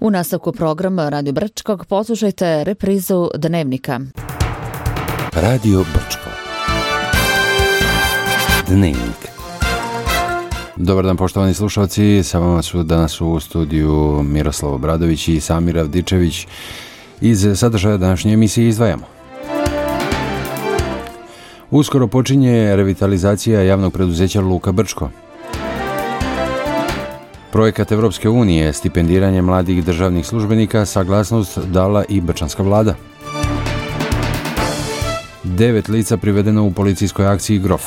U nastavku programa Radio Brčkog poslušajte reprizu Dnevnika. Radio Brčko. Dnevnik. Dobar dan poštovani slušalci, sa vama su danas u studiju Miroslav Obradović i Samir Avdičević. Iz sadržaja današnje emisije izdvajamo. Uskoro počinje revitalizacija javnog preduzeća Luka Brčko. Projekat Evropske unije, stipendiranje mladih državnih službenika, saglasnost dala i brčanska vlada. 9 lica privedeno u policijskoj akciji Grof.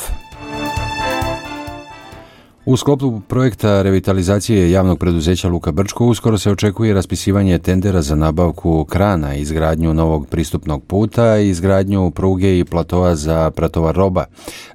U sklopu projekta revitalizacije javnog preduzeća Luka Brčko uskoro se očekuje raspisivanje tendera za nabavku krana, izgradnju novog pristupnog puta i izgradnju pruge i platoa za pretovar roba.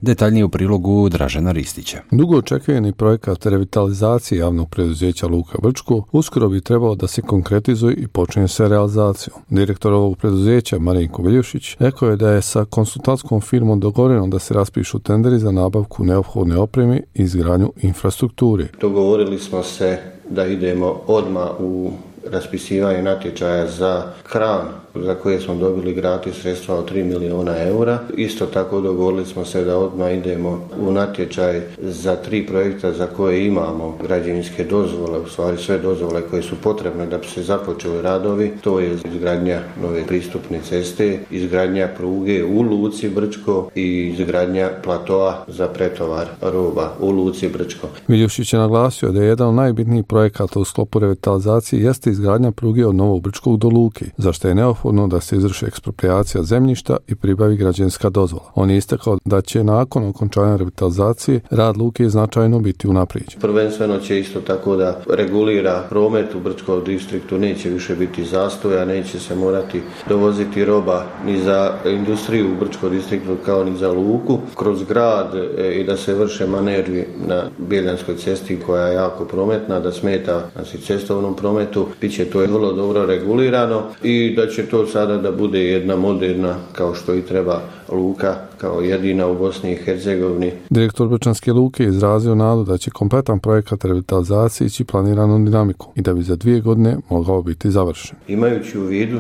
Detaljnije u prilogu Dražena Ristića. Dugo očekivani projekat revitalizacije javnog preduzeća Luka Brčko uskoro bi trebao da se konkretizuje i počne sa realizacijom. Direktor ovog preduzeća Marinko Viljušić rekao je da je sa konsultantskom firmom dogovoreno da se raspišu tenderi za nabavku neophodne opreme i izgradnju infrastrukture. Dogovorili smo se da idemo odmah u raspisivanje natječaja za kran za koje smo dobili gratis sredstva od 3 milijuna eura. Isto tako dogovorili smo se da odmah idemo u natječaj za 3 projekta za koje imamo građevinske dozvole, u stvari sve dozvole koje su potrebne da bi se započeli radovi. To je izgradnja nove pristupne ceste, izgradnja pruge u Luci Brčko i izgradnja platoa za pretovar roba u Luci Brčko. Viljušić je naglasio da je jedan od najbitnijih projekata u sklopu revitalizacije jeste izgradnja pruge od Novog Brčkog do Luke, za što je neophodno da se izvrši eksproprijacija zemljišta i pribavi građevinska dozvola. On je istakao da će nakon okončanja revitalizacije rad luke značajno biti unaprijeđen. Prvenstveno će isto tako da regulira promet u Brčkom distriktu, neće više biti zastoja, neće se morati dovoziti roba ni za industriju u Brčkom distriktu kao ni za luku kroz grad i da se vrše manevri na Bjeljanskoj cesti koja je jako prometna, da smeta cestovnom prometu. Biće to vrlo dobro regulirano i da će to sada da bude jedna moderna, kao što i treba, luka kao jedina u Bosni i Hercegovini. Direktor Brčanske luke je izrazio nadu da će kompletan projekat revitalizacije ići planiranom dinamikom i da bi za 2 godine mogao biti završen. Imajući u vidu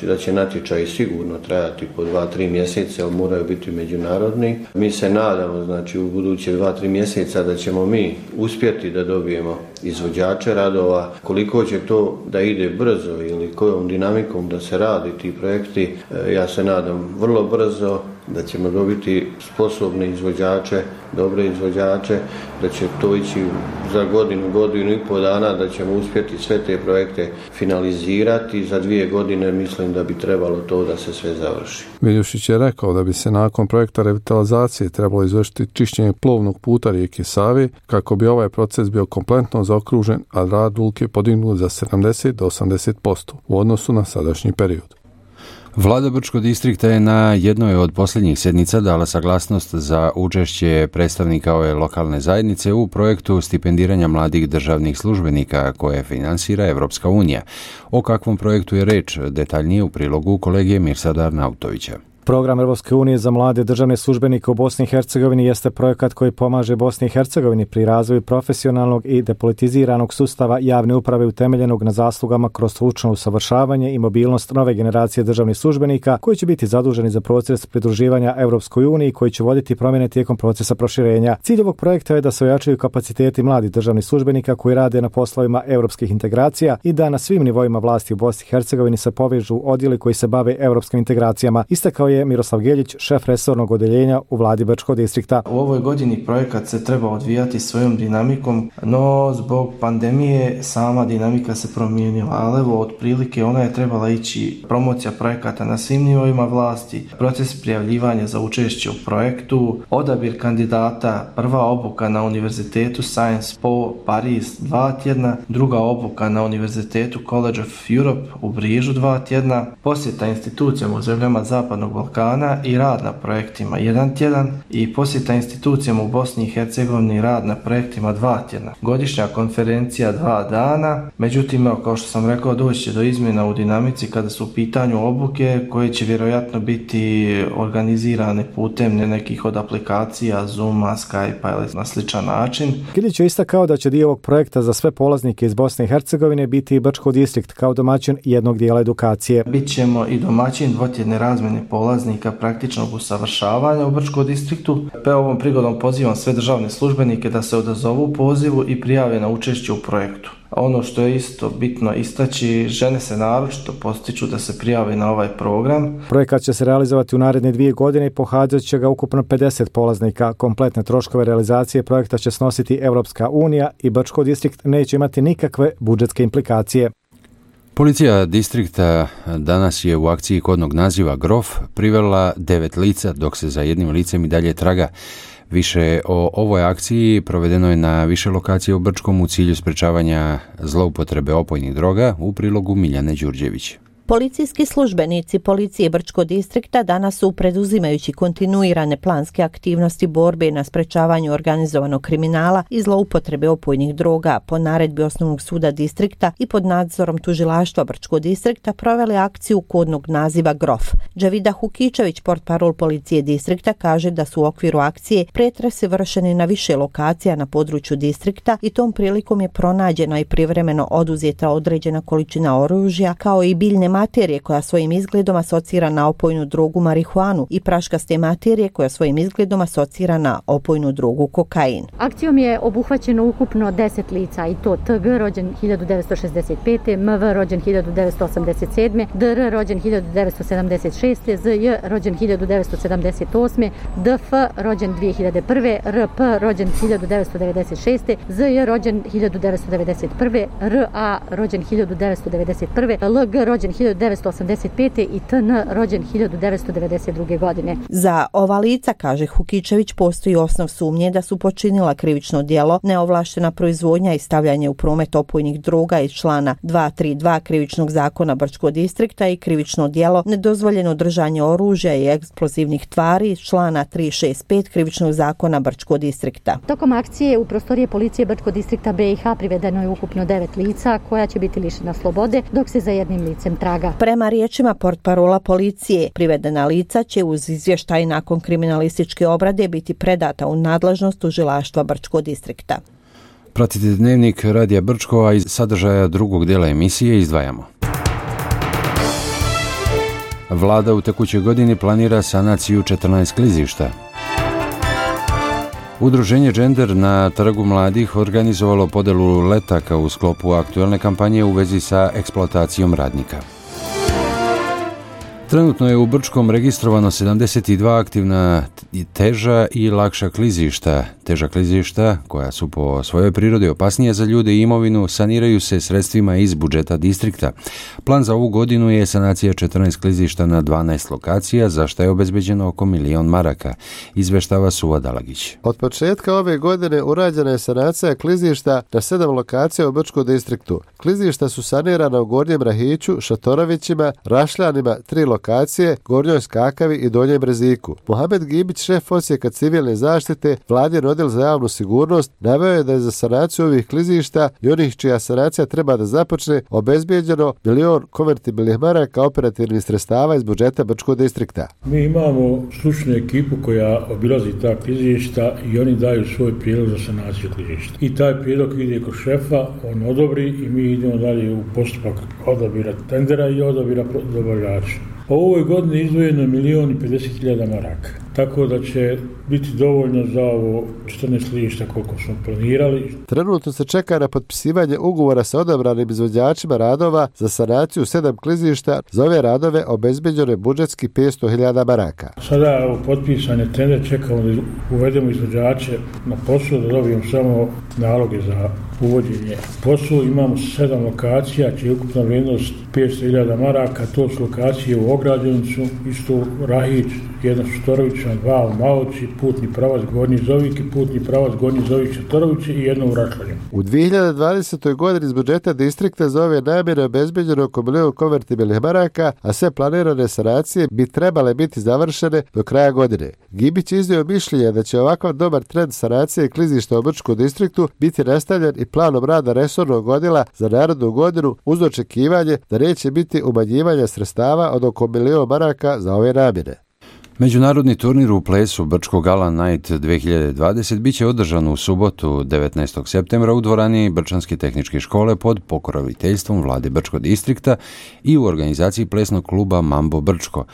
da će natječaj sigurno trajati po 2-3 mjeseca, ali moraju biti međunarodni. Mi se nadamo, u buduće 2-3 mjeseca da ćemo mi uspjeti da dobijemo izvođače radova. Koliko će to da ide brzo ili kojom dinamikom da se radi ti projekti, ja se nadam vrlo brzo da ćemo dobiti sposobne izvođače, dobre izvođače, da će to ići za godinu i pol dana, da ćemo uspjeti sve te projekte finalizirati. Za 2 godine mislim da bi trebalo to da se sve završi. Viljušić je rekao da bi se nakon projekta revitalizacije trebalo izvršiti čišćenje plovnog puta rijeke Save kako bi ovaj proces bio kompletno zaokružen, a rad luke podignut za 70 do 80% u odnosu na sadašnji period. Vlada Brčkog distrikta je na jednoj od posljednjih sjednica dala saglasnost za učešće predstavnika ove lokalne zajednice u projektu stipendiranja mladih državnih službenika koje finansira Evropska unija. O kakvom projektu je reč, detaljnije u prilogu kolege Mirsada Arnautovića. Program Europske unije za mlade državne službenike u Bosni i Hercegovini jeste projekat koji pomaže Bosni i Hercegovini pri razvoju profesionalnog i depolitiziranog sustava javne uprave utemeljenog na zaslugama kroz stručno usavršavanje i mobilnost nove generacije državnih službenika koji će biti zaduženi za proces pridruživanja Europskoj uniji koji će voditi promjene tijekom procesa proširenja. Cilj ovog projekta je da se ojačaju kapaciteti mladih državnih službenika koji rade na poslovima europskih integracija i da na svim nivoima vlasti u Bosni i Hercegovini se povežu odjeli koji se bave europskim integracijama. Istakao je Miroslav Geljić, šef resornog odeljenja u vladi Brčkog distrikta. U ovoj godini projekat se treba odvijati svojom dinamikom, no zbog pandemije sama dinamika se promijenila, ali evo otprilike ona je trebala ići promocija projekata na svim nivoima vlasti, proces prijavljivanja za učešće u projektu, odabir kandidata, prva obuka na Univerzitetu Sciences Po Paris 2 tjedna, druga obuka na Univerzitetu College of Europe u Brižu 2 tjedna, posjeta institucijama u zemljama Zapadnog Balkana i rad na projektima 1 tjedan i posjeta institucijama u Bosni i Hercegovini rad na projektima 2 tjedna. Godišnja konferencija 2 dana, međutim, kao što sam rekao, doći će do izmjena u dinamici kada su u pitanju obuke koje će vjerojatno biti organizirane putem nekih od aplikacija, Zooma, Skypea ili na sličan način. Kilić je istakao da će dio ovog projekta za sve polaznike iz Bosne i Hercegovine biti i Brčko distrikt kao domaćin jednog dijela edukacije. Bićemo i domaćin dvotjedne razmjene polaznika praktičnog usavršavanja u Brčkom distriktu. Ovom prigodom pozivam sve državne službenike da se odazovu pozivu i prijave na učešće u projektu. Ono što je isto bitno istaći, žene se naročito postiču da se prijave na ovaj program. Projekat će se realizovati u naredne 2 godine i pohađat će ga ukupno 50 polaznika. Kompletne troškove realizacije projekta će snositi Europska unija i Brčko distrikt neće imati nikakve budžetske implikacije. Policija distrikta danas je u akciji kodnog naziva Grof privela 9 lica, dok se za jednim licem i dalje traga. Više o ovoj akciji provedeno je na više lokacije u Brčkom u cilju sprečavanja zloupotrebe opojnih droga, u prilogu Miljane Đurđević. Policijski službenici policije Brčkog distrikta danas su, preduzimajući kontinuirane planske aktivnosti borbe na sprečavanju organizovanog kriminala i zloupotrebe opojnih droga, po naredbi Osnovnog suda distrikta i pod nadzorom tužilaštva Brčkog distrikta, proveli akciju kodnog naziva Grof. Đavida Hukičević, portparol policije distrikta, kaže da su u okviru akcije pretresi vršeni na više lokacija na području distrikta i tom prilikom je pronađena i privremeno oduzeta određena količina oružja, kao i biljne materije koja svojim izgledom asocira na opojnu drogu marihuanu i praškaste materije koja svojim izgledom asocira na opojnu drogu kokain. Akcijom je obuhvaćeno ukupno 10 lica i to TG rođen 1965, MV rođen 1987, DR rođen 1976, ZJ rođen 1978, DF rođen 2001, RP rođen 1996, ZJ rođen 1991, RA rođen 1991, LG rođen 1985. i TN rođen 1992. godine. Za ova lica, kaže Hukičević, postoji osnov sumnje da su počinila krivično djelo neovlaštena proizvodnja i stavljanje u promet opojnih droga iz člana 232 krivičnog zakona Brčkog distrikta i krivično djelo nedozvoljeno držanje oružja i eksplozivnih tvari iz člana 365 krivičnog zakona Brčkog distrikta. Tokom akcije u prostorije policije Brčkog distrikta BiH privedeno je ukupno 9 lica koja će biti lišena slobode, dok se za jednim licem traga. Prema riječima portparola policije, privedena lica će uz izvještaj nakon kriminalističke obrade biti predata u nadležnost tužilaštva Brčkog distrikta. Pratite Dnevnik Radija Brčko, a iz sadržaja drugog dijela emisije izdvajamo. Vlada u tekućoj godini planira sanaciju 14 klizišta. Udruženje Gender na Trgu mladih organizovalo podelu letaka u sklopu aktualne kampanje u vezi sa eksploatacijom radnika. Trenutno je u Brčkom registrovano 72 aktivna teža i lakša klizišta. Teža klizišta, koja su po svojoj prirodi opasnije za ljude i imovinu, saniraju se sredstvima iz budžeta distrikta. Plan za ovu godinu je sanacija 14 klizišta na 12 lokacija, za što je obezbeđeno oko 1 milion maraka, izveštava Suva Dalagić. Od početka ove godine urađena je sanacija klizišta na 7 lokacija u Brčkom distriktu. Klizišta su sanirana u Gornjem Rahiću, Šatorovićima, Rašljanima, 3 lokacije, Gornjoj Skakavi i Donjem Breziku. Mohamed Gibić, šef odsjeka civilne zaštite, Vladin odjel za javnu sigurnost, naveo je da je za sanaciju ovih klizišta i onih čija sanacija treba da započne obezbijeđeno 1 milion konvertibilnih maraka operativnih sredstava iz budžeta Brčkog distrikta. Mi imamo stručnu ekipu koja obilazi ta klizišta i oni daju svoj prijedlog za sanaciju klizišta. I taj prijedlog ide kod šefa, on odobri i mi idemo dalje u postupak odabira tendera i odabira dobavljača. U ovoj godini izdvojeno je 1.050.000 maraka, tako da će biti dovoljno za ovo 14 klizišta koliko smo planirali. Trenutno se čeka na potpisivanje ugovora sa odabranim izvođačima radova za sanaciju 7 klizišta. Za ove radove obezbeđeno je budžetski 500.000 maraka. Sada u potpisan je tender, čekamo da uvedemo izvođače na posao, da dobijemo samo naloge za uvođenje poslu. Imamo 7 lokacija, čija je ukupna vrijednost 500.000 maraka. To su lokacije u Ograđenicu, isto Rahić, jedna Šutorovića, ćemo 2 u Maloči, putni pravac Gornji Zovik i putni pravac Gornji Zovik Šatorovići i jedno u Rašljanju. U 2020. godini iz budžeta distrikta za ove namjene obezbeđeno oko 1 milion konvertibilnih maraka, a sve planirane sanacije bi trebale biti završene do kraja godine. Gibić iznio mišljenje da će ovakav dobar trend sanacije klizišta u Brčkom distriktu biti nastavljen i planom rada resornog odjela za narednu godinu uz očekivanje da neće biti umanjivanja sredstava od oko 1 milion maraka za ove namjene. Međunarodni turnir u plesu Brčko Gala Night 2020 biće održan u subotu 19. septembra u dvorani Brčanske tehničke škole pod pokroviteljstvom vlade Brčkog distrikta i u organizaciji plesnog kluba Mambo Brčko.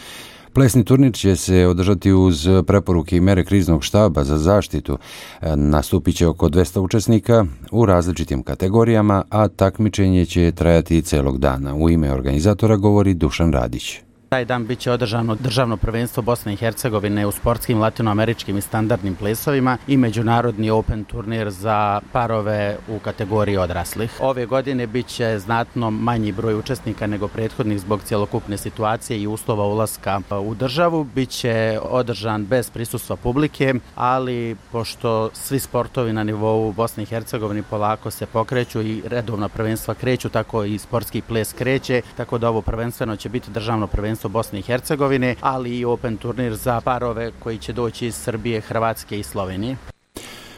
Plesni turnir će se održati uz preporuke i mere kriznog štaba za zaštitu. Nastupit će oko 200 učesnika u različitim kategorijama, a takmičenje će trajati celog dana. U ime organizatora govori Dušan Radić. Taj dan biće održano državno prvenstvo Bosne i Hercegovine u sportskim latinoameričkim i standardnim plesovima i međunarodni open turnir za parove u kategoriji odraslih. Ove godine biće znatno manji broj učesnika nego prethodnih zbog cjelokupne situacije i uslova ulaska u državu. Biće održan bez prisustva publike, ali pošto svi sportovi na nivou Bosne i Hercegovine polako se pokreću i redovna prvenstva kreću, tako i sportski ples kreće, tako da ovo prvenstveno će biti državno prvenstvo Bosne i Hercegovine, ali i open turnir za parove koji će doći iz Srbije, Hrvatske i Slovenije.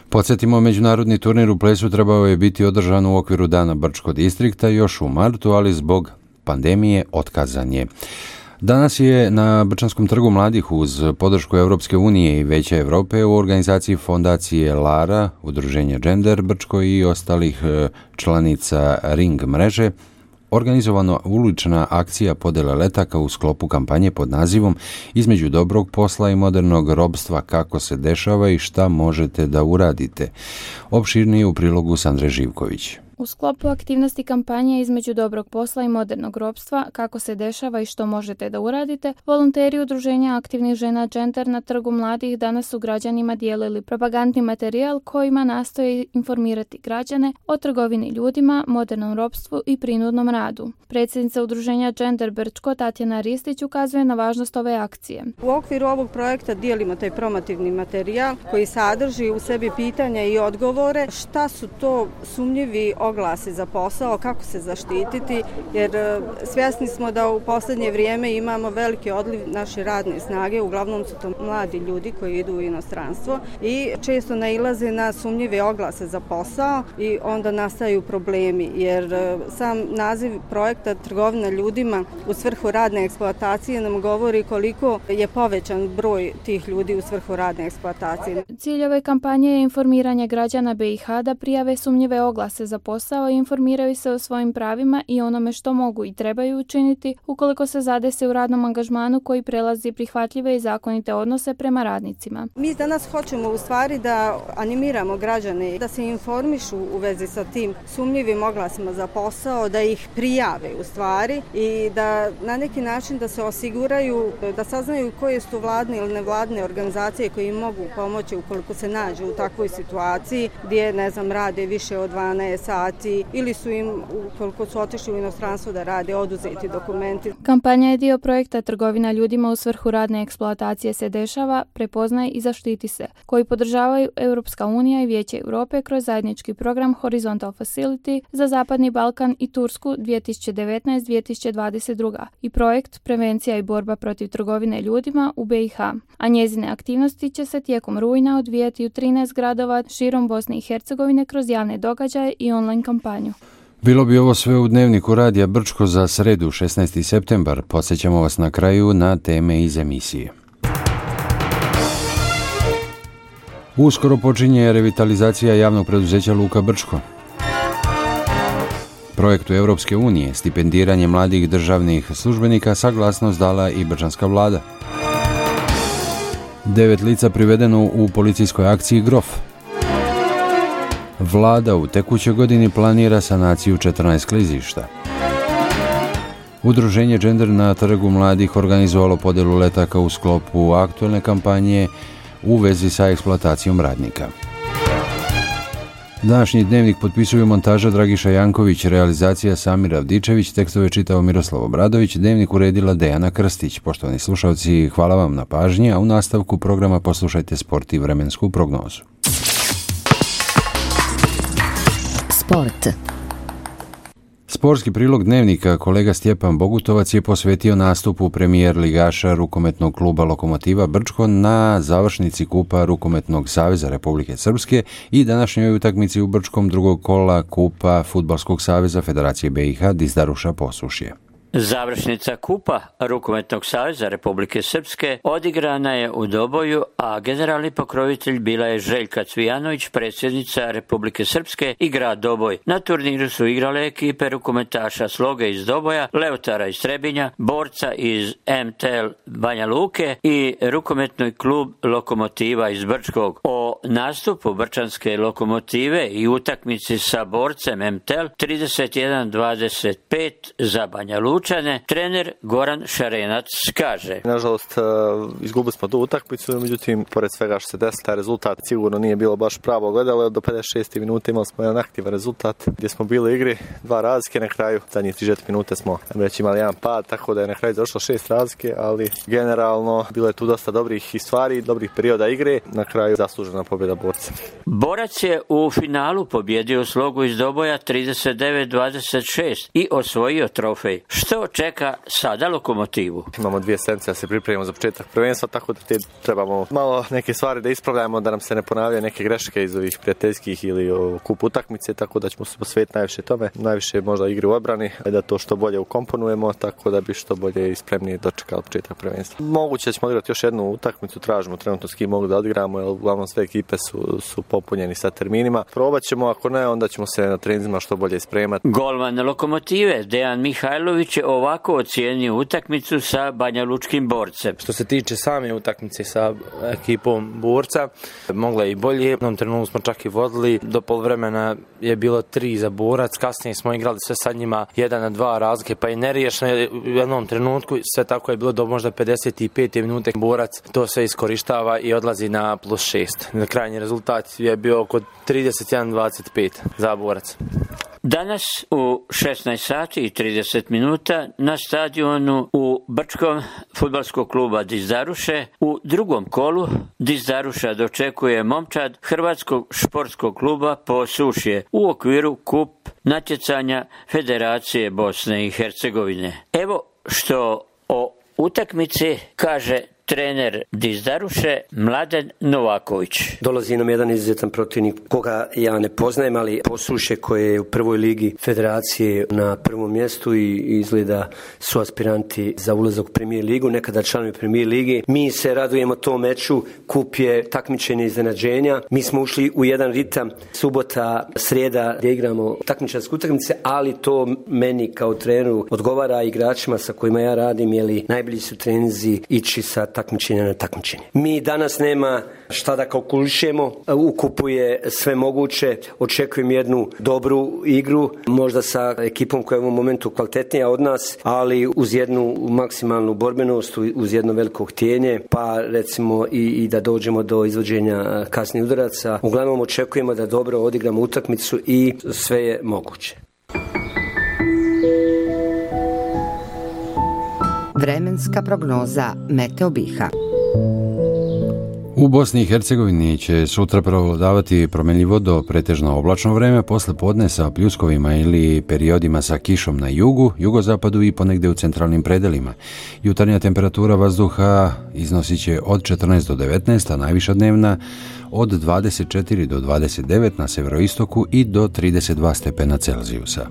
Podsjetimo, međunarodni turnir u plesu trebao je biti održan u okviru Dana Brčkog distrikta još u martu, ali zbog pandemije otkazan je. Danas je na Brčanskom trgu mladih uz podršku Europske unije i Vijeća Europe u organizaciji fondacije Lara, udruženja Gender Brčko i ostalih članica Ring mreže organizovana ulična akcija podjele letaka u sklopu kampanje pod nazivom Između dobrog posla i modernog robstva, kako se dešava i šta možete da uradite. Opširnije u prilogu Sandre Živković. U sklopu aktivnosti kampanje Između dobrog posla i modernog ropstva, kako se dešava i što možete da uradite, volonteri udruženja aktivnih žena Gender na trgu mladih danas su građanima dijelili propagandni materijal kojima nastoje informirati građane o trgovini ljudima, modernom ropstvu i prinudnom radu. Predsjednica udruženja Gender Brčko Tatjana Ristić ukazuje na važnost ove akcije. U okviru ovog projekta dijelimo taj promotivni materijal koji sadrži u sebi pitanja i odgovore šta su to sumnjivi oglasi za posao, kako se zaštititi, jer svjesni smo da u posljednje vrijeme imamo veliki odliv naše radne snage, uglavnom su to mladi ljudi koji idu u inostranstvo i često nailaze na sumnjive oglase za posao i onda nastaju problemi, jer sam naziv projekta Trgovina ljudima u svrhu radne eksploatacije nam govori koliko je povećan broj tih ljudi u svrhu radne eksploatacije. Cilj ove kampanje je informiranje građana BiH da prijave sumnjive oglase za posao i informiraju se o svojim pravima i onome što mogu i trebaju učiniti ukoliko se zadese u radnom angažmanu koji prelazi prihvatljive i zakonite odnose prema radnicima. Mi danas hoćemo u stvari da animiramo građane da se informišu u vezi sa tim sumnjivim oglasima za posao, da ih prijave u stvari i da na neki način da se osiguraju, da saznaju koje su vladne ili nevladne organizacije koje im mogu pomoći ukoliko se nađu u takvoj situaciji gdje, rade više od 12 sati ili su im, ukoliko su otišli u inostranstvo da rade, oduzeti dokumenti. Kampanja je dio projekta Trgovina ljudima u svrhu radne eksploatacije se dešava, prepoznaj i zaštiti se, koji podržavaju Europska unija i Vijeće Europe kroz zajednički program Horizontal Facility za Zapadni Balkan i Tursku 2019-2022 i projekt Prevencija i borba protiv trgovine ljudima u BiH, a njezine aktivnosti će se tijekom rujna odvijati u 13 gradova širom Bosne i Hercegovine kroz javne događaje i online kampanju. Bilo bi ovo sve u dnevniku Radija Brčko za sredu 16. septembar. Podsjećamo vas na kraju na teme iz emisije. Uskoro počinje revitalizacija javnog preduzeća Luka Brčko. Projektu Europske unije stipendiranje mladih državnih službenika saglasnost dala i brčanska vlada. 9 lica privedeno u policijskoj akciji Grof. Vlada u tekućoj godini planira sanaciju 14 klizišta. Udruženje Gender na trgu mladih organizovalo podjelu letaka u sklopu aktualne kampanje u vezi sa eksploatacijom radnika. Današnji dnevnik potpisuju montaža Dragiša Janković, realizacija Samir Avdičević, tekstove čitao Miroslav Obradović, dnevnik uredila Dejana Krstić. Poštovani slušalci, hvala vam na pažnji, a u nastavku programa poslušajte sport i vremensku prognozu. Sport. Sportski prilog dnevnika kolega Stjepan Bogutovac je posvetio nastupu premijer ligaša rukometnog kluba Lokomotiva Brčko na završnici Kupa Rukometnog saveza Republike Srpske i današnjoj utakmici u Brčkom drugog kola Kupa Fudbalskog saveza Federacije BiH Dizdaruša Posušje. Završnica Kupa Rukometnog saveza Republike Srpske odigrana je u Doboju, a generalni pokrovitelj bila je Željka Cvijanović, predsjednica Republike Srpske i grad Doboj. Na turniru su igrale ekipe rukometaša Sloge iz Doboja, Leotara iz Trebinja, Borca iz MTL Banja Luke i rukometni klub Lokomotiva iz Brčkog. O nastupu brčanske Lokomotive i utakmici sa Borcem MTL 31-25 za Banja Lučane, trener Goran Šarenac kaže: Nažalost, izgubili smo tu utakmicu, međutim, pored svega što se desilo, taj rezultat sigurno nije bilo baš pravo gledalo. Do 56. minute imali smo jedan aktivan rezultat gdje smo bili u igri, 2 razlike na kraju. Zadnjih 30 minuta smo imali jedan pad, tako da je na kraju došlo 6 razlike, ali generalno bilo je tu dosta dobrih stvari, dobrih perioda igre. Na kraju zaslužena pobjeda Borca. Borac je u finalu pobjedio Slogu iz Doboja 39-26 i osvojio trofej. Što čeka sada Lokomotivu? Imamo 2 sedmice da se pripremimo za početak prvenstva, tako da trebamo malo neke stvari da ispravljamo, da nam se ne ponavljaju neke greške iz ovih prijateljskih ili kup utakmice, tako da ćemo se posvetiti najviše tome, najviše možda igri u obrani, da to što bolje ukomponujemo, tako da bi što bolje i spremnije dočekali početak prvenstva. Moguće ćemo odigrati još jednu utakmicu, tražimo trenutno s kim mogu da odigramo, jer uglavnom sve ekipe su popunjeni sa terminima. Probat ćemo, ako ne, onda ćemo se na treninzima što bolje spremati. Golman Lokomotive Dejan Mihajlović je ovako ocijenio utakmicu sa banjalučkim Borcem. Što se tiče same utakmice sa ekipom Borca, mogla je i bolje. U jednom trenutku smo čak i vodili, do poluvremena je bilo 3 za Borac, kasnije smo igrali sve sa njima 1-2 razlike, pa i neriješeno u jednom trenutku, sve tako je bilo do možda 55. minute. Borac to sve iskorištava i odlazi na +6. Na krajnji rezultat je bio oko 31-25 za Borac. Danas u 16:30 na stadionu u Brčkom fudbalskog kluba Dizdaruše u drugom kolu Dizdaruša dočekuje momčad Hrvatskog športskog kluba Posušje u okviru kup natjecanja Federacije Bosne i Hercegovine. Evo što o utakmici kaže trener Dizdaruše Mladen Novaković. Dolazi nam jedan izuzetan protivnik koga ja ne poznajem, ali Posušje koje je u prvoj ligi federacije na prvom mjestu i izgleda su aspiranti za ulazak u Premier ligu, nekada članovi Premier ligi. Mi se radujemo tom meču, kup je takmičenje iznenađenja. Mi smo ušli u jedan ritam, subota, srijeda gdje igramo takmičarske utakmice, ali to meni kao treneru odgovara igračima sa kojima ja radim, jer najbolji su treninzi ići sa takmičenja na takmičenje. Mi danas nema šta da kalkulišemo, u kupu je sve moguće, očekujem jednu dobru igru, možda sa ekipom koja je u ovom momentu kvalitetnija od nas, ali uz jednu maksimalnu borbenost, uz jedno veliko htjenje, pa recimo i da dođemo do izvođenja kasnih udaraca. Uglavnom očekujemo da dobro odigramo utakmicu i sve je moguće. Vremenska prognoza Meteo Biha. U Bosni i Hercegovini će sutra prevladavati promjenljivo do pretežno oblačno vreme, posle podne sa pljuskovima ili periodima sa kišom na jugu, jugozapadu i ponegde u centralnim predelima. Jutarnja temperatura vazduha iznosit će od 14 do 19, a najviša dnevna od 24 do 29 na severoistoku i do 32 stepena Celzijusa.